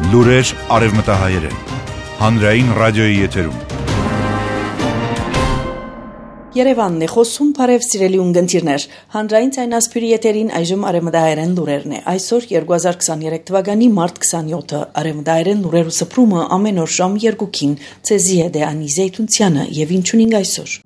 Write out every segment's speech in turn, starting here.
Լուրեր արևմտահայերեն, հանրային ռադիոյի եթերում։ Երևանն է խոսում, բարև սիրելի ունգընտիրներ, հանրային ցայնասփյուրի եթերին այժմ արևմտահայերեն լուրերն է։ Այսօր 2023 թվականի մարտ 27-ը արևմտահայերեն լուրերու սփռումը ամեն օր ժամ 2-ին ցեզի հետ է Անի Զեյթունցյանը եւ ինչունինգ այսօր։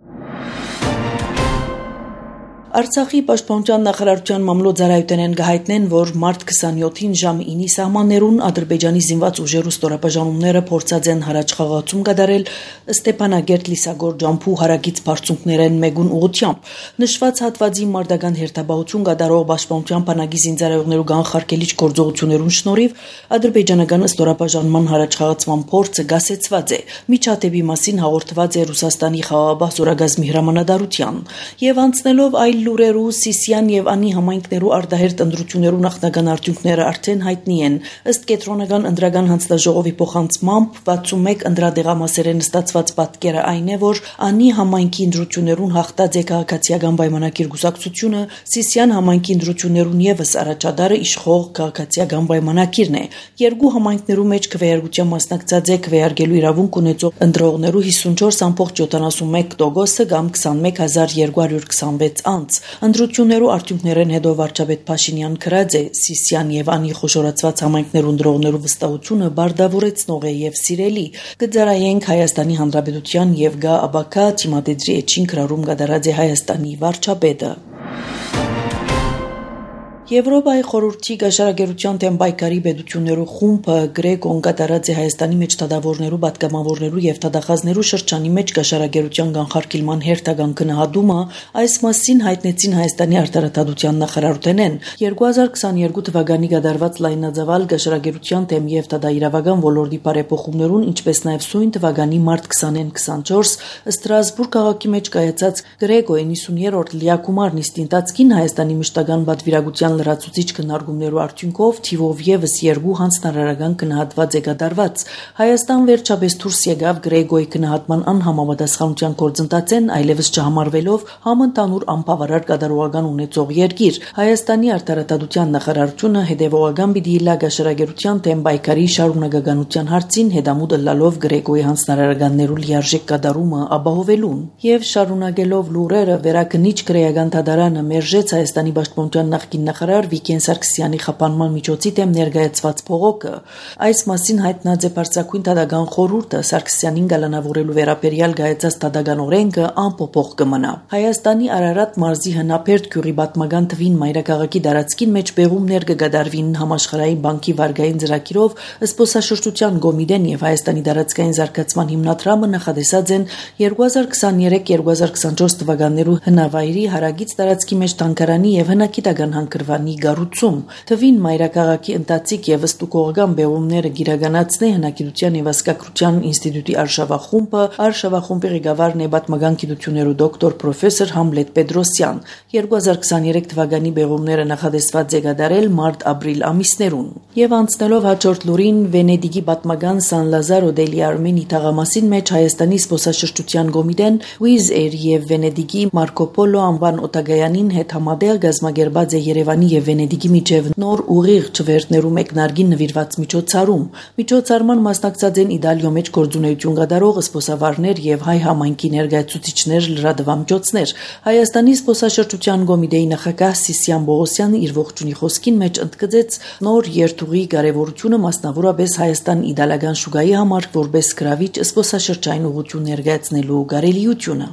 Արցախի պաշտպանության նախարարության մամլոյ գահայտնեն, որ մարտ 27-ին ժամ 9-ի սահմաններուն Ադրբեջանի զինված ուժերու ստորաբաժանումները փորձած են հարաճ խաղացում կատարել Ստեփանագերտ Լիսագոր ջամփու հարակից բարձունքներեն մեգուն ուղությամբ։ Նշված հատվածի մարտական հերթապահություն կատարող պաշտպանության բանակի զինծառայողներու կանխարգելիչ գործողություններուն շնորհիվ ադրբեջանական ստորաբաժանման հարաճ խաղացման փորձը գասեցված է։ Միջադեպի մասին հաղորդված է Ռուսաստանի խաղաղապահ զորագազմի հրամանատարության եւ անցնելով այլ լուրերու Սիսիան եւ Անի համայնքներու արտահերտ ընտրություններու նախնական արդյունքները արդեն հայտնի են։ Ըստ կենտրոնական ընտրական հանձնաժողովի փոխանցմամբ 61 ընտրադեղամասերեն ստացված պատկերը այն է, որ Անի համայնքի ընտրություններուն հաղթած է քաղաքացիական պայմանագիր գուսակցությունը, Սիսիան համայնքի ընտրություններուն եւս առաջադարը իշխող քաղաքացիական պայմանագիրն է։ Երկու համայնքներու մեջ քվեարկության մասնակցած է քվեարկելու իրավունք ունեցող ընտրողներու 54.71% կամ 21226 անց։ Ընտրություններու արդյունքներեն հետո վարչապետ Փաշինյան քրած է Սիսիան եւ Անի խոշորացված համայնքներուն դրողներու վստահությունը բարդավորեցնող է եւ սիրելի։ Կձարայենք Հայաստանի Հանրապետության եւ Գա Աբակա Թիմադեդրի էջին քրարում կատարած է Հայաստանի վարչապետը։ Եվրոպայի խորհրդի գաշարագերության դեմ պայքարի պետություններու խումբը Գրեգոն կատարած է Հայաստանի մեջ թադավորներու, պատգամավորներու եւ թադախազներու շրջանի մեջ գաշարագերության կանխարգելման հերթական գնահատումը այս մասին հայտնեցին Հայաստանի արտարադատության նախարարութենեն 2022 թվականի կատարված լայնածավալ գաշարագերության դեմ եւ թադաիրավական ոլորտի բարեփոխումներուն, ինչպես նաեւ սույն թվականի մարտ 20-24 Ստրասբուրգ քաղաքի մեջ կայացած Գրեգո 90-րդ լիակումար նիստին տածքին Հայաստանի մշտական պատվիրակության լրացուցիչ քննարկումներու արդյունքով թիվով եւս 2 հանձնարարական գնահատված է կատարված։ Հայաստան վերջապես դուրս եկավ Գրեգոյի գնահատման անհամապատասխանության գործընթացեն, այլևս չհամարվելով համընդհանուր անբավարար կատարողական ունեցող երկիր։ Հայաստանի արտարադատության նախարարությունը հետևողական պիտի լա գաշարագերության դեմ պայքարի շարունակականության հարցին հետամուտ ըլլալով Գրեգոյի հանձնարարականներու լիարժեք կատարումը ապահովելուն եւ շարունակելով լուրերը վերակնիչ քրեական դատարանը մերժեց Հայաստանի պաշտպանության նախկին նախարար Վիգեն Սարգսյանի խափանման միջոցի դեմ ներկայացված փողոքը։ Այս մասին հայտնած է Բարձրագույն դատական խորհուրդը Սարգսյանին գալանավորելու վերաբերյալ գայացած դատական օրենքը անփոփոխ կմնա։ Հայաստանի Արարատ մարզի հնապերտ գյուղի պատմական թվին մայրաքաղաքի տարածքին մեջ բեղումներ կգադարվին Համաշխարհային բանկի վարկային ծրագիրով զբոսաշրջության կոմիտեն եւ Հայաստանի տարածքային զարգացման հիմնադրամը նախադեсած են 2023-2024 թվականներու հնավայրի հարագից տարածքի մեջ տանկարանի եւ հնագիտական հանգրվանի գառուցում։ Թվին մայրաքաղաքի ընթացիկ եւ ստուգողական բեղումները գիրականացնե հնագիտության եւ ասկակրության ինստիտուտի արշավախումբը, արշավախումբի ղեկավարն է պատմական գիտություններու դոկտոր պրոֆեսոր Համլետ Պետրոսյան։ 2023 թվականի բեղումները նախադեсված է կատարել մարտ-ապրիլ ամիսներուն։ Եվ անցնելով հաջորդ լուրին Վենեդիգի պատմական Սան Լազարո դելի Արմենի թաղամասին մեջ Հայաստանի զբոսաշրջության կոմիտեն Wizz Air եւ Վենեդիգի Մարկո Պոլո անվան օտագայանին հետ համատեղ գազմագերբած է Երևանի եւ Վենեդիգի միջև նոր ուղիղ չվերթներու մեկնարկին նվիրված միջոցառում։ Միջոցառման մասնակցած են Իտալիո մեջ գործունեություն կատարող զբոսավարներ եւ հայ համայնքի ներկայացուցիչներ, լրատվամիջոցներ։ Հայաստանի զբոսաշրջության կոմիտեի նախագահ Սիսիան Բողոսյանը իր ողջունի խոսքին մեջ ընդգծեց նոր երթուղի կարևորությունը մասնավորապես Հայաստան-իտալական շուկայի համար որպես գրավիչ զբոսաշրջային ուղղություն ներկայացնելու կարելիությունը։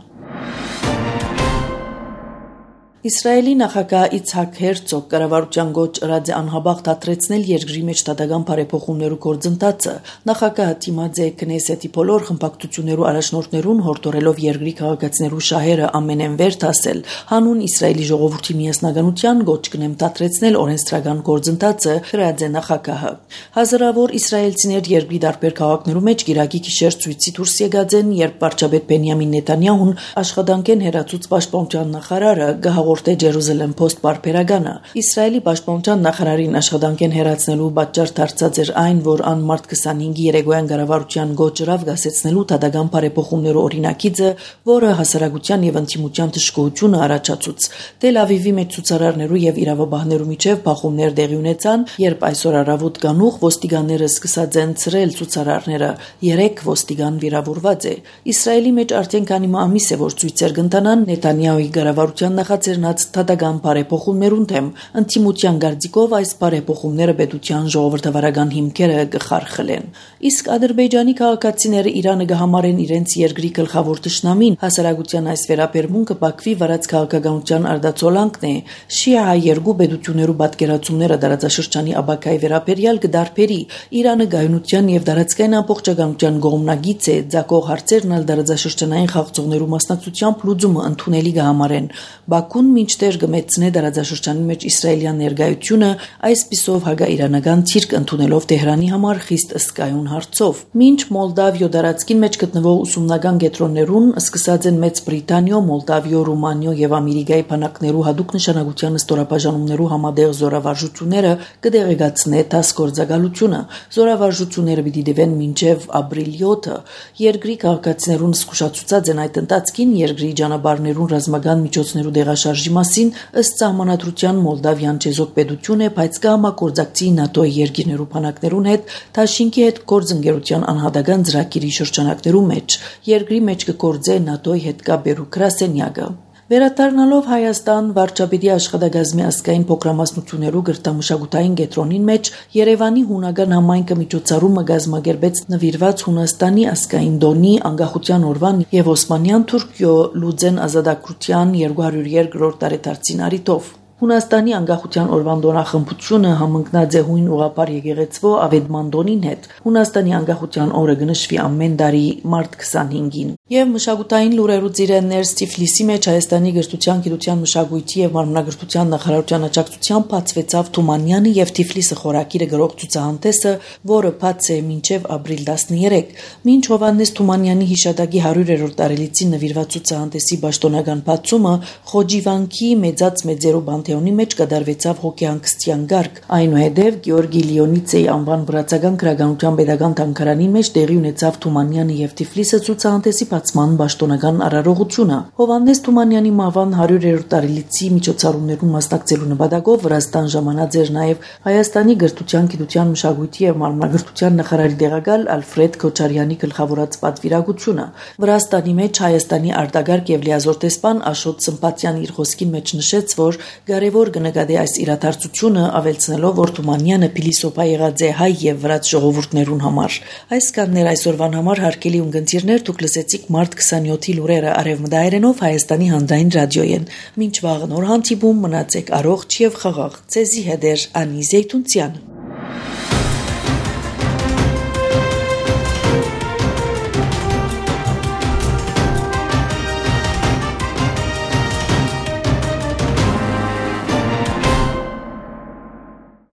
Իսրայելի նախագահ Իցհակ Հերցոգ կառավարության գոչ ըրած է անհաբաղ դադրեցնել երկրի մեջ դատական բարեփոխումներու գործընթացը։ Նախագահը դիմաձ է Քնեսետի բոլոր խմբակցություններու առաջնորդներուն հորդորելով երկրի քաղաքացիներու շահերը ամենեն վեր դասել։ Հանուն Իսրայելի ժողովրդի միասնականության գոչ կնեմ դադրեցնել օրենսդրական գործընթացը գրած է նախագահը։ Հազարավոր իսրայելցիներ երկրի տարբեր քաղաքներու մեջ գիրակի գիշեր ցույցի դուրս եկած են, երբ վարչապետ Բենյամին Նեթանյահուն աշխատանքեն հերացուց պաշտպանության նախարարը հաղորդե Jerusalem Post պարբերականը։ Իսրայելի պաշտպանության նախարարին աշխատանք են հեռացնելու պատճառ դարձած էր այն, որ ան մարտ 25-ի երեկոյան կառավարության գոչրավ գասեցնելու դատական բարեփոխումներու օրինակիցը, որը հասարակության եւ ընդդիմության դժգոհությունը առաջացուց։ Տել Ավիվի մեջ ցուցարարներու եւ իրավաբաններու միջև բախումներ տեղի ունեցան, երբ այսօր առավոտ գանուխ ոստիկանները սկսած են ցրել ցուցարարները։ 3 ոստիկան վիրավորված է։ Իսրայելի մեջ արդեն քանի ամիս է, որ ցույցեր կընթանան Նեթանյահուի կառավարության նախաձեռնած դատական բարեփոխումներուն դեմ։ Ընդդիմության գարդիկով այս բարեփոխումները պետության ժողովրդավարական հիմքերը կխարխլեն։ Իսկ Ադրբեջանի քաղաքացիները Իրանը կհամարեն իրենց երկրի գլխավոր ճշնամին։ Հասարակության այս վերաբերմունքը Բաքվի վարած քաղաքականության արդացոլանքն է։ Շիա երկու պետություններու պատկերացումները դարաձաշրջանի աբակայի վերաբերյալ կդարբերի։ Իրանը գայունության եւ դարածքային ամբողջականության կողմնագից է, ցակող հարցերն ալ դարաձաշրջանային խաղացողներու մասնակցությամբ լուծումը ընդունելի կհամարեն։ Բաքուն մինչդեռ կմեծնե դարաձաշրջանի մեջ իսրայելյան ներկայությունը, այսպիսով հակաիրանական թիրք ընդունելով Տեհրանի համար խիստ ըսկայուն հարցով։ Մինչ Մոլդավիո դարածքին մեջ գտնվող ուսումնական կենտրոններուն սկսած են Մեծ Բրիտանիո, Մոլդավիո, Ռումանիո եւ Ամերիկայի բանակներու հadoop նշանակության ստորապաժանումներու համատեղ զորավարժությունները կդեղեկացնե տաս գործակալությունը։ Զորավարժությունները պիտի դեվեն մինչև ապրիլ 7-ը։ Երկրի քաղաքացիներուն զսկուշացուցած են այդ ընթացքին երկրի ճանապարհներուն ռազմական միջոցներու դեղաշարժի մասին ըստ սահմանադրության Մոլդավյան չեզոք պետություն է, բայց կհամագործակցի ՆԱՏՕ-ի երկիրներու բանակներուն հետ, Թաշինքի հետ գործընկերության անհատական ծրագիրի շրջանակներու մեջ։ Երկրի մեջ կգործե ՆԱՏՕ-ի հետ կապերու գրասենյակը։ Վերադառնալով Հայաստան վարչապետի աշխատակազմի ազգային փոքրամասնություններու գրտամշակութային կենտրոնին մեջ Երևանի հունական համայնքը միջոցառումը կազմակերպեց նվիրված Հունաստանի ազգային տոնի անկախության օրվան եւ Օսմանյան Թուրքիո լուծեն ազատագրության 202-րդ տարեդարձին առիթով։ Հունաստանի անկախության օրվան տոնախմբությունը համընկնած է հույն ուղղափառ եկեղեցվո Ավետմանդոնին հետ։ Հունաստանի անկախության օրը կնշվի ամեն տարի մարտ 25-ին։ Եվ մշակութային լուրերու ծիրեններ Թիֆլիսի մեջ Հայաստանի գրթության, գիտության, մշակույթի եւ մարմնագրթության նախարարության աջակցությամբ բացվեցավ Թումանյանի եւ Թիֆլիսը խորակիրը գրող ցուցահանդեսը, որը բաց է մինչև ապրիլ 13։ Մինչ Հովհաննես Թումանյանի հիշատակի 100-րդ տարելիցին նվիրված ցուցահանդեսի պաշտոնական բացումը Խոջիվանքի մեծած մեծերու Պանթեոնի մեջ կդարվեցավ հոգեհանգստյան գարկ։ Այնուհետև Գեորգի Լիոնիցեի անվան վրացական գրականության պետական թանգարանի մեջ տեղի ունեցավ Թումանյանը եւ Թիֆլիսը ցուցահանդեսի բացման պաշտոնական արարողությունը։ Հովհաննես Թումանյանի մահվան 100-րդ տարելիցի միջոցառումներուն մասնակցելու նպատակով Վրաստան ժամանած էր նաեւ Հայաստանի գրթության, գիտության, մշակույթի եւ մարմնագրթության նախարարի տեղակալ Ալֆրեդ Քոչարյանի գլխավորած պատվիրակությունը։ Վրաստանի մեջ Հայաստանի արտագարկ եւ լիազոր տեսփան Աշոտ Սմպատյան իր խոսքի մեջ նշեց, որ կարևոր կնկատի այս իրադարձությունը ավելցնելով, որ Թումանյանը փիլիսոփա եղած է հայ եւ վրաց ժողովուրդներուն համար։ Այս կաններ այսօրվան համար հարգելի ունգընտիրներ, դուք լսեցիք մարտ 27-ի լուրերը արևմտահայերենով Հայաստանի հանրային ռադիոյեն։ Մինչ վաղ նոր հանդիպում մնացեք առողջ եւ խաղաղ։ Ցեզի հետ Անի Զեյթունցյան։